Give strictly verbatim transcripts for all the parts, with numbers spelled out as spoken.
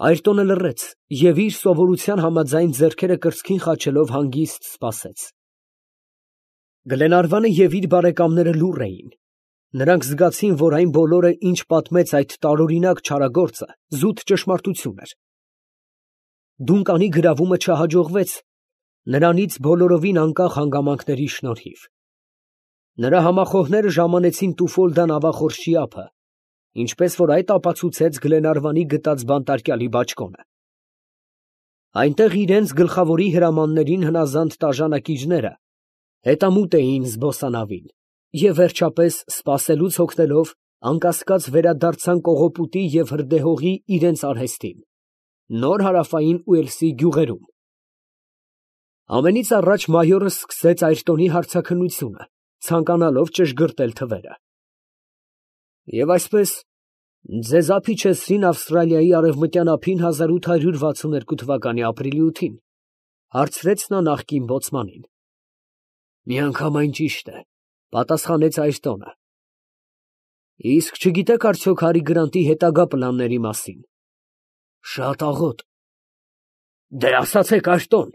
Այրտոնը լռեց և իր սովորության համաձայն ձեռքերը կրծքին խաչելով հանգիստ սպասեց։ Գլենարվանը և իր բարեկամները լուռ էին. նրանք զգացին, որ այն բոլորը, ինչ պատմեց այդ տարօրինակ չարագործը, զուտ ճշմարտություն էր։ Դունկանի գրավումը չհաջողվեց նրանից բոլորովին անկախ հանգամանքների շնորհիվ։ Նրա համախոհները ժամանեցին Տուֆոլդան նավախորշի ափը, ինչպես որ այդ ապացուցեց Գլենարվանի գտած բանտարկյալի բաճկոնը։ Այնտեղ իրենց գլխավորի հրամաններին հնազանդ տաժանակիչները հետամուտ էին զբոսանավին և վերջապես, սպասելուց հոգնելով, անկասկած վերադարձան կողոպուտի և հրդեհողի իրենց արհեստին, նոր հարավային Ուելսի գյուղերում։ Ամենից առաջ մայորը սկսեց Այրտոնի հարցաքննությունը, ցանկանալով ճշգրտել թվերը։ Եվ այսպես, ձեզ ափիչեցրին Ավստրալիայի արևմտյան ափին հազար ութ հարյուր վաթսուն երկու թվականի ապրիլի ութին, հարցրեց նա նախկին բոցմանին։ Միանգամայն ճիշտ է, պատասխանեց Այրտոնը։ Իսկ չգիտեք արդյոք Հարի Գրանտի հետագա պլանների մասին։ Շատ աղոտ։ Դե ասացեք, Այրտոն,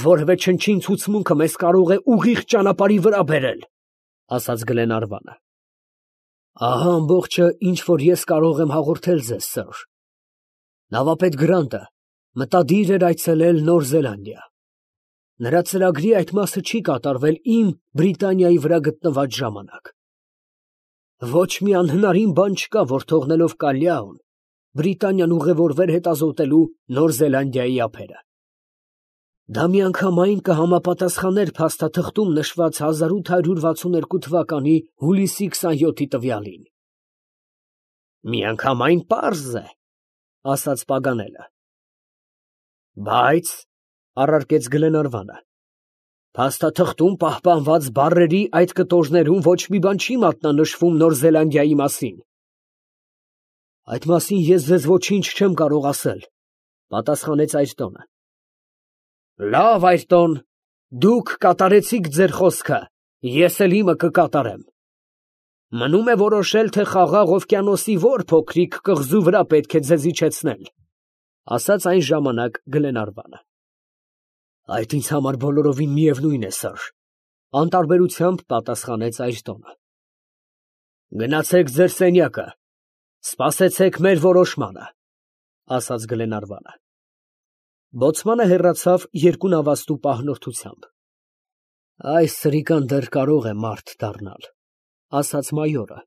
որևէ չնչին ցուցմունքը մեզ կարող է ուղիղ ճանապարհի վրա բերել, ասաց Գլենարվանը։ Ահա ամբողջը, ինչ որ ես կարող եմ հաղորդել ձեզ, սըր։ Նավապետ Գրանտը մտադիր էր այցելել Նոր Զելանդիա։ Նրա ծրագրի այդ մասը չի կատարվել իմ Բրիտանիայի վրա գտնված ժամանակ։ Ոչ մի անհնարին բան չկա, որ թողնելով Կալյաուն, Բրիտանիան ուղևորվեր հետազոտելու Նոր Զելանդիայի ափերը։ Դա միանգամայն կհամապատասխաներ փաստաթղթում նշված հազար ութ հարյուր վաթսուն երկու թվականի հուլիսի քսանյոթի տվյալին։ Միանգամայն պարզ է, ասաց Պագանելը։ Բայց, առարկեց Գլենարվանը, փաստաթղթում պահպանված բառերի այդ կտորներում ոչ մի բան չի մատնանշվում Նոր Զելանդիայի մասին։ Այդ մասին ես ձեզ ոչինչ չեմ կարող ասել, պատասխանեց Այրտոնը։ Լավ, Այրտոն, դուք կատարեցիք ձեր խոսքը, ես էլ իմը կկատարեմ։ Մնում է որոշել, թե Խաղաղ օվկիանոսի որ փոքրիկ կղզու վրա պետք է ձեզ իջեցնել, ասաց այն ժամանակ Գլենարվանը։ Այդ ինձ համար բոլորովին միևնույն է, սըր, անտարբերությամբ պատասխանեց Այրտոնը։ Գնացեք ձեր սենյակը, սպասեցեք մեր որոշմանը, ասաց Գլենարվանը։ Բոցմանը հեռացավ երկու նավաստու պահնորդությամբ։ Այս սրիկան դեռ կարող է մարդ դառնալ, ասաց մայորը։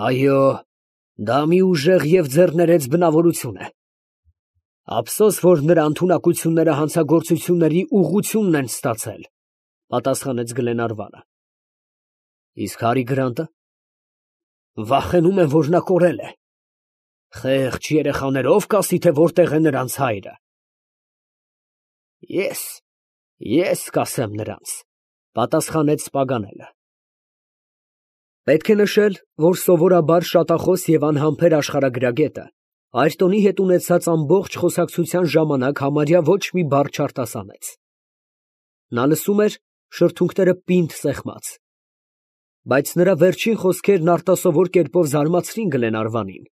Այո, դա մի ուժեղ և ձեռներեց բնավորություն է։ Ափսոս, որ նրա ընդունակությունները հանցագործությունների ուղղությունն են ստացել, պատասխանեց Գլենարվանը։ Իսկ Հարի Գրանտը։ Վախենում եմ, որ նա կորել է։ Խեղճ երեխաներով կասի, թե որտեղ է նրանց հայրը։ Ես, ես կասեմ նրանց, պատասխանեց Պագանելը։ Պետք է նշել, որ սովորաբար շատախոս և անհամբեր աշխարհագրագետը Այրտոնի հետ ունեցած ամբողջ խոսակցության ժամանակ համարյա ոչ մի բառ չարտասանեց։ Նա լսում էր, շրթունքները պինդ սեղմած։ Բայց նրա վերջին խոսքերն արտասովոր կերպով զարմացրին Գլենարվանին։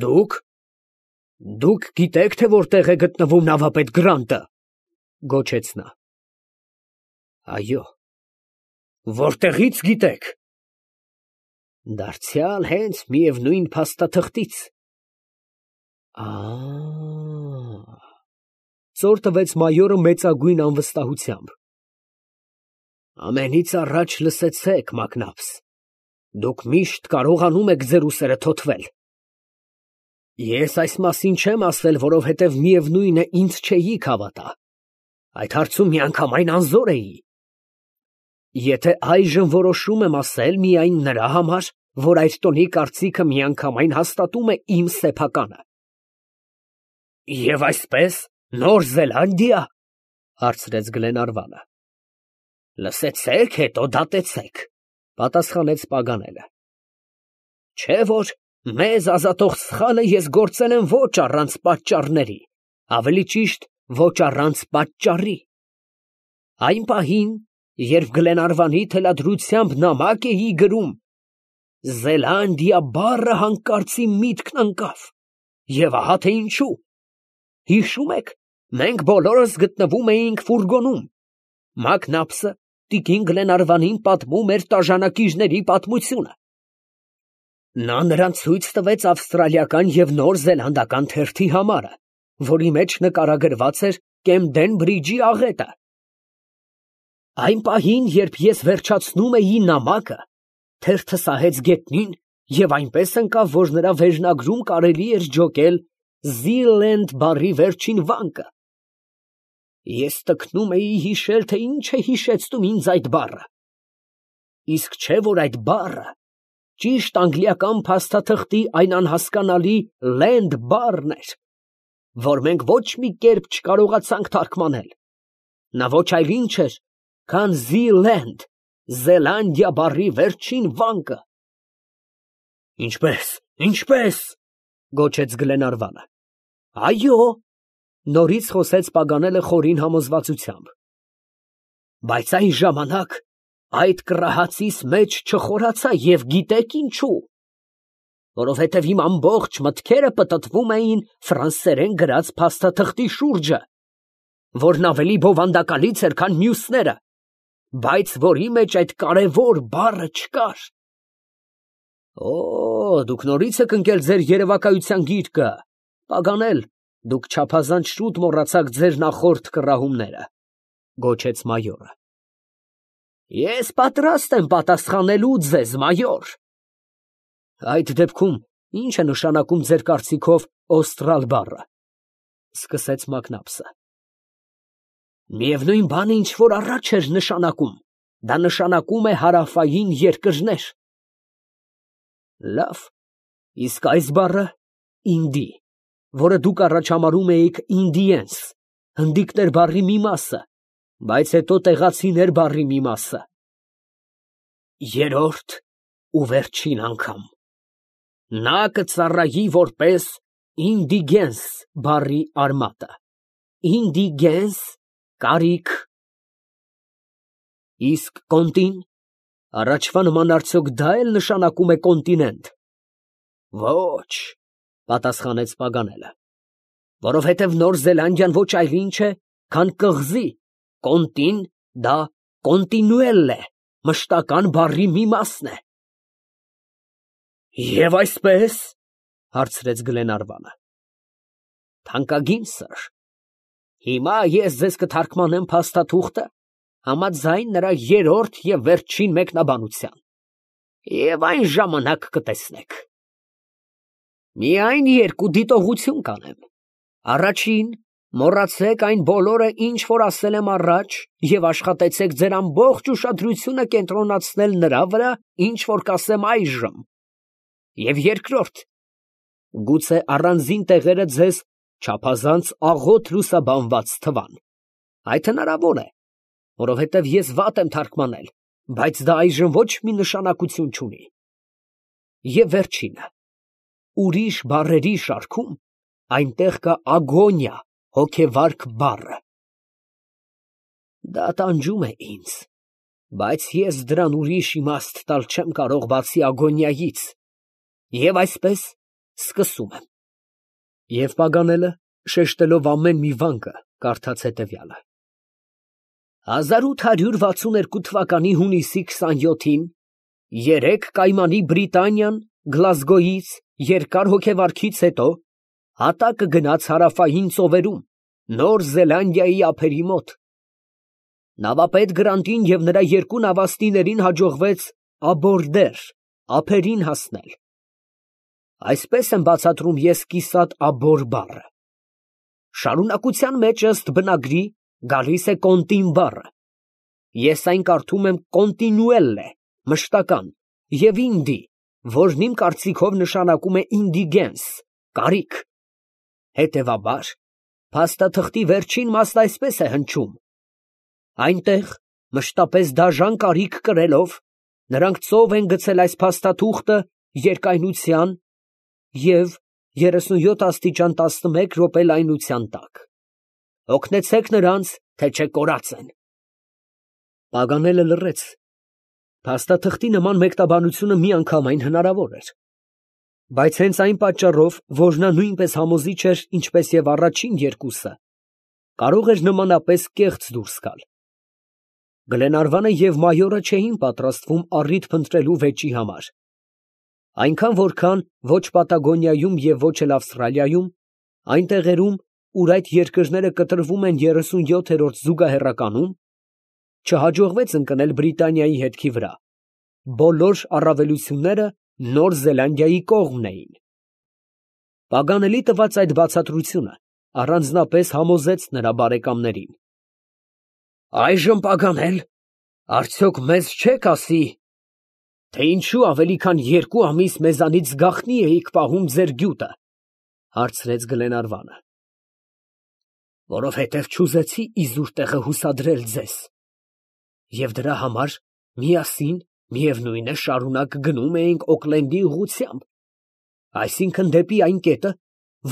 Դուք, դուք գիտեք, թե որտեղ է գտնվում նավապետ Գրանտը, գոչեց նա։ Այո, որտեղից գիտեք։ Դարձյալ հենց միևնույն փաստաթղթից։ Ա՜, ծոր տվեց մայորը մեծագույն անվստահությամբ։ Ամենից առաջ լսեցեք, մակնաբս, դուք միշտ կարողանում եք ձեր ուսերը թոթվել։ Ես այս մասին չեմ ասել, որովհետև միևնույն է ինձ չէիք հավատա։ Այդ հարցում միանգամայն անզոր էի։ Եթե այժմ որոշում եմ ասել միայն նրա համար, որ Այրտոնի կարծիքը միանգամայն հաստատում է իմ սեփականը։ Եվ այսպես, Նոր Զելանդիա, հարցրեց Գլենարվանը։ Լսեցեք, հետո դատեցեք, պատասխանեց Պագանելը։ Չէ՞ որ մեզ ազատող սխալը ես գործել եմ ոչ առանց պատճառների, ավելի ճիշտ, ոչ առանց պատճառի։ Այն պահին, երբ Գլենարվանի թելադրությամբ նամակ էի գրում, Զելանդիա բառը հանկարծ իմ միտքն ընկավ, Եվ ահա թե ինչու։ Հիշում եք, մենք բոլորս գտնվում էինք ֆուրգոնում։ Մակնապսը տիկին Գլենարվանին պատմում էր տաժանակիչների պատմությունը։ Նա նրան ցույց տվեց ավստրալիական և նոր զելանդական թերթի համարը, որի մեջ նկարագրված էր Կեմդեն Բրիջի աղետը։ Այն պահին, երբ ես վերջացնում էի նամակը, թերթը սահեց գետնին և այնպես ընկավ, որ նրա վերնագրում կարելի էր ջոկել Զիլենդ բառի վերջին վանկը։ Ես տքնում էի հիշել, թե ինչ է հիշեցնում ինձ այդ բառը։ Իսկ չէ՞ որ այդ բառը ճիշտ անգլիական փաստաթղթի այն անհասկանալի land բառն էր, որ մենք ոչ մի կերպ չկարողացանք թարգմանել։ Նա ոչ այլ ինչ էր, քան Zealand, Զելանդիա բառի վերջին վանկը։ Ինչպե՞ս, ինչպե՞ս, գոչեց Գլենարվանը։ Այո, նորից խոսեց Պագանելը խորին համոզվածությամբ։ Բայց այն ժամանակ այդ կռահացիս մեջ չխորացա և գիտեք ինչու։ Որովհետև իմ ամբողջ մտքերը պտտվում էին ֆրանսերեն գրած փաստաթղթի շուրջը, որն ավելի բովանդակալից էր, քան մյուսները, բայց որի մեջ այդ կարևոր բառը չկար։ Օ, դուք նորից եք ընկել ձեր երևակայության գիրկը, Պագանել, դուք չափազանց շուտ մոռացաք ձեր նախորդ կռահումները, գոչեց մայորը։ Ես պատրաստ եմ պատասխանելու ձեզ, մայոր։ Այդ դեպքում ի՞նչ է նշանակում ձեր կարծիքով օստրալ բառը, սկսեց Մակնապսը։ Միևնույն բանը, ինչ որ առաջ էր նշանակում, դա նշանակում է հարավային երկրներ։ Լավ, իսկ այս բառը ինդի, որը դուք առաջ համարում էիք Indians, հնդիկներ բառի մի մասը, բայց հետո տեղացիներ բառի մի մասը։ Երրորդ ու վերջին անգամ։ Նա կծառայի որպես Indigens բառի արմատը։ Indigens կարիք։ Իսկ կոնտին, առաջվա նման արդյոք դա էլ նշանակում է կոնտինենտ։ Ոչ, պատասխանեց Պագանելը, որովհետև Նոր Զելանդիան ոչ այլ ինչ է, քան կղզի, կոնտին դա կոնտինուել է, մշտական բառի մի մասն է։ Եվ այսպես, հարցրեց Գլենարվանը։ Թանկագին սըր, հիմա ես ձեզ կթարգմանեմ փաստաթուղթը համաձայն նրա երրորդ և վերջին մեկնաբանության, և այն ժամանակ կտեսնեք։ Միայն երկու դիտողություն կանեմ. առաջին, մոռացեք այն բոլորը, ինչ որ ասել եմ առաջ, և աշխատեցեք ձեր ամբողջ ուշադրությունը կենտրոնացնել նրա վրա, ինչ որ կասեմ այժմ, և երկրորդ, գուցե առանձին տեղերը ձեզ չափազանց աղոտ լուսաբանված թվան։ Այդ հնարավոր է, որովհետև ես վատ եմ թարգմանել, բայց դա այժմ ոչ մի նշանակություն չունի։ Եվ վերջինը, ուրիշ բառերի շարքում այնտեղ կա ագոնիա, հոգեվարք բառը։ Դա տանջում է ինձ, բայց ես դրան ուրիշ իմաստ տալ չեմ կարող, բացի ագոնիայից, և այսպես սկսում եմ։ Եվ Պագանելը, շեշտելով ամեն մի վանկը, կարդաց հետևյալը. հազար ութ հարյուր վաթսուն երկու թվականի հունիսի քսանյոթին երեք կայմանի Բրիտանիան Գլազգոյից երկար հոգեվարքից հետո հատակը գնաց հարավային ծովերում, Նոր Զելանդիայի ափերի մոտ։ Նավապետ Գրանտին և նրա երկու նավաստիներին հաջողվեց աբորդեր, ափերին հասնել։ Այսպես եմ բացատրում ես կիսատ աբոր բառը։ Շարունակության մեջ ըստ բնագրի գալիս է կոնտին բառը։ Ես այն կարդում եմ կոնտինուել է, մշտական, և ինդի, որն իմ կարծիքով նշանակում է indigens, կարիք։ Հետևաբար, փաստաթղթի վերջին մասն այսպես է հնչում. այնտեղ, մշտապես դաժան կարիք կրելով, նրանք ծով են գցել այս փաստաթուղթը երկայնության և երեսունյոթ աստիճան տասնմեկ րոպե լայնության տակ։ Օգնեցեք նրանց, թե չէ կորած են։ Պագանելը լռեց։ Փաստաթղթի նման մեկնաբանությունը միանգամայն հնարավոր էր։ Բայց հենց այն պատճառով, որ նա նույնպես համոզիչ էր, ինչպես և առաջին երկուսը, կարող էր նմանապես կեղծ դուրս գալ։ Գլենարվանը և մայորը չէին պատրաստվում առիթ փնտրելու վեճի համար, այնքան, որքան ոչ Պատագոնիայում և ոչ էլ Ավստրալիայում, այն տեղերում, ուր այդ երկրները կտրվում են երեսունյոթերորդ զուգահեռականում, չհաջողվեց ընկնել Բրիտանիայի հետքի վրա, բոլոր առավելությունները Նոր Զելանդիայի կողմն էին։ Պագանելի տված այդ բացատրությունը առանձնապես համոզեց նրա բարեկամներին։ «Այժմ պագանել, արդյոք մեզ չեք ասի, թե ինչո՞ւ ավելի քան երկու ամիս մեզանից գաղտնի էիք պահում ձեր գյուտը, ֊ հարցրեց Գլենարվանը։ ֊ Որովհետև չուզեցի իզուր տեղը հուսադրել ձեզ, և դրա համար միասին, միևնույն է, շարունակ գնում էինք Օքլենդի ուղղությամբ, այսինքն՝ դեպի այն կետը,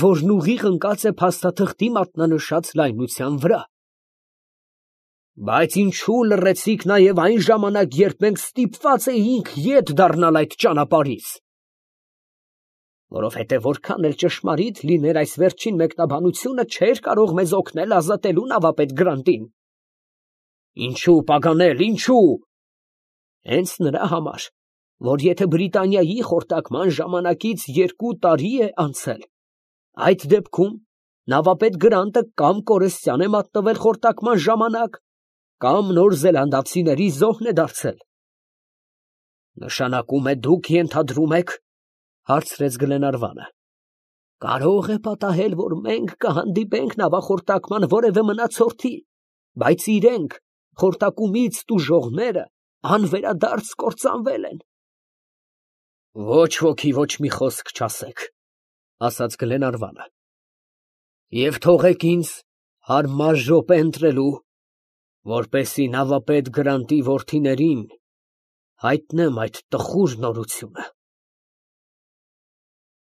որն ուղիղ ընկած է փաստաթղթի մատնանշած լայնության վրա։ Բայց ինչո՞ւ լռեցիք նաև այն ժամանակ, երբ մենք ստիպված էինք ետ դառնալ այդ ճանապարհից։ Որովհետև որքան էլ ճշմարիտ լիներ այս վերջին մեկնաբանությունը, չէր կարող մեզ օգնել ազատելու նավապետ Գրանտին։ Ինչո՞ւ պագանել, ինչո՞ւ։ Հենց նրա համար, որ եթե Բրիտանիայի խորտակման ժամանակից երկու տարի է անցել, այդ դեպքում նավապետ Գրանտը կամ կորստյան է մատնվել խորտակման ժամանակ, կամ նոր զելանդացիների զոհն է դարձել։ ֊ Նշանակում է դուք ենթադրում եք, ֊ հարցրեց Գլենարվանը, ֊ կարող է պատահել, որ մենք կհանդիպենք նավախորտակման որևէ մնացորդի, բայց իրենք, խորտակումից տուժողները, անվերադարձ կործանվել են։ ֊ Ոչ ոքի ոչ մի խոսք չասեք, ֊ ասաց Գլենարվանը, ֊ և թողեք ինձ հարմար րոպե ընտրելու, որպեսզի նավապետ Գրանտի որդիներին հայտնեմ այդ տխուր նորությունը։